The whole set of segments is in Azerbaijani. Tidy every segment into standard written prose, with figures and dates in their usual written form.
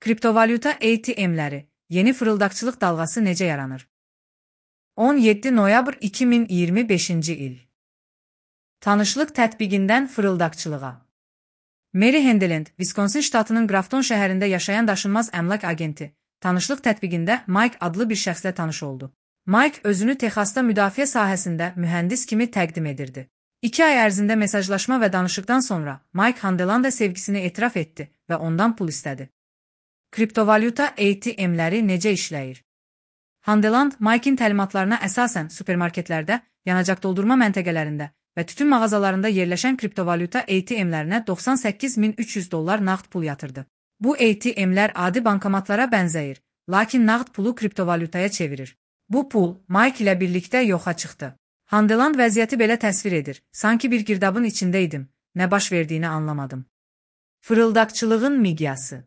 Kriptovalyuta ATM-ləri, yeni fırıldaqçılıq dalğası necə yaranır? 17 noyabr 2025-ci il. Tanışlıq tətbiqindən fırıldaqçılığa. Mary Handland, Wisconsin ştatının Grafton şəhərində yaşayan daşınmaz əmlak agenti, tanışlıq tətbiqində Mike adlı bir şəxslə tanış oldu. Mike özünü Texasda müdafiə sahəsində mühəndis kimi təqdim edirdi. 2 ay ərzində mesajlaşma və danışıqdan sonra Mike Handlanda sevgisini etiraf etdi və ondan pul istədi. Kriptovalyuta ATM-ləri necə işləyir? Handland, Mike'in təlimatlarına əsasən supermarketlərdə, yanacaq doldurma məntəqələrində və tütün mağazalarında yerləşən kriptovalyuta ATM-lərinə $98.300 nağd pul yatırdı. Bu ATM-lər adi bankomatlara bənzəyir, lakin nağd pulu kriptovalyutaya çevirir. Bu pul Mike ilə birlikdə yoxa çıxdı. Handland vəziyyəti belə təsvir edir, sanki bir girdabın içindəydim, nə baş verdiyini anlamadım. Fırıldaqçılığın miqyası.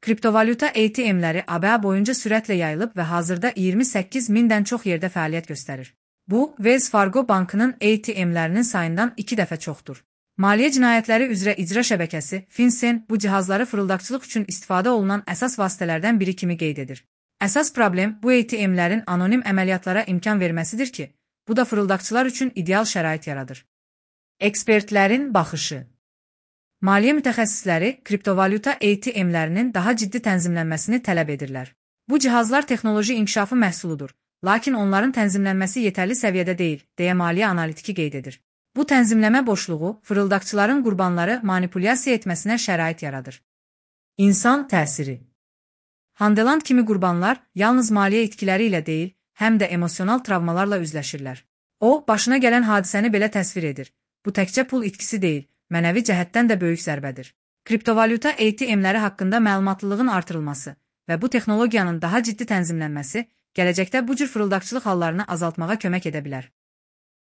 Kriptovalyuta ATM-ləri ABA boyunca sürətlə yayılıb və hazırda 28.000-dən çox yerdə fəaliyyət göstərir. Bu, Wells Fargo bankının ATM-lərinin sayından 2 dəfə çoxdur. Maliyyə cinayətləri üzrə icra şəbəkəsi, FinCEN, bu cihazları fırıldaqçılıq üçün istifadə olunan əsas vasitələrdən biri kimi qeyd edir. Əsas problem bu ATM-lərin anonim əməliyyatlara imkan verməsidir ki, bu da fırıldaqçılar üçün ideal şərait yaradır. Ekspertlərin baxışı. Maliyyə mütəxəssisləri kriptovalyuta ATM-lərinin daha ciddi tənzimlənməsini tələb edirlər. Bu cihazlar texnoloji inkişafı məhsuludur, lakin onların tənzimlənməsi yetərli səviyyədə deyil, deyə maliyyə analitiki qeyd edir. Bu tənzimləmə boşluğu fırıldaqçıların qurbanları manipulyasiya etməsinə şərait yaradır. İnsan təsiri. Handland kimi qurbanlar yalnız maliyyə itkiləri ilə deyil, həm də emosional travmalarla üzləşirlər. O, başına gələn hadisəni belə təsvir edir. Bu təkcə pul itkisi deyil, mənəvi cəhətdən də böyük zərbədir. Kriptovalyuta ATM-ləri haqqında məlumatlılığın artırılması və bu texnologiyanın daha ciddi tənzimlənməsi gələcəkdə bu cür fırıldaqçılıq hallarını azaltmağa kömək edə bilər.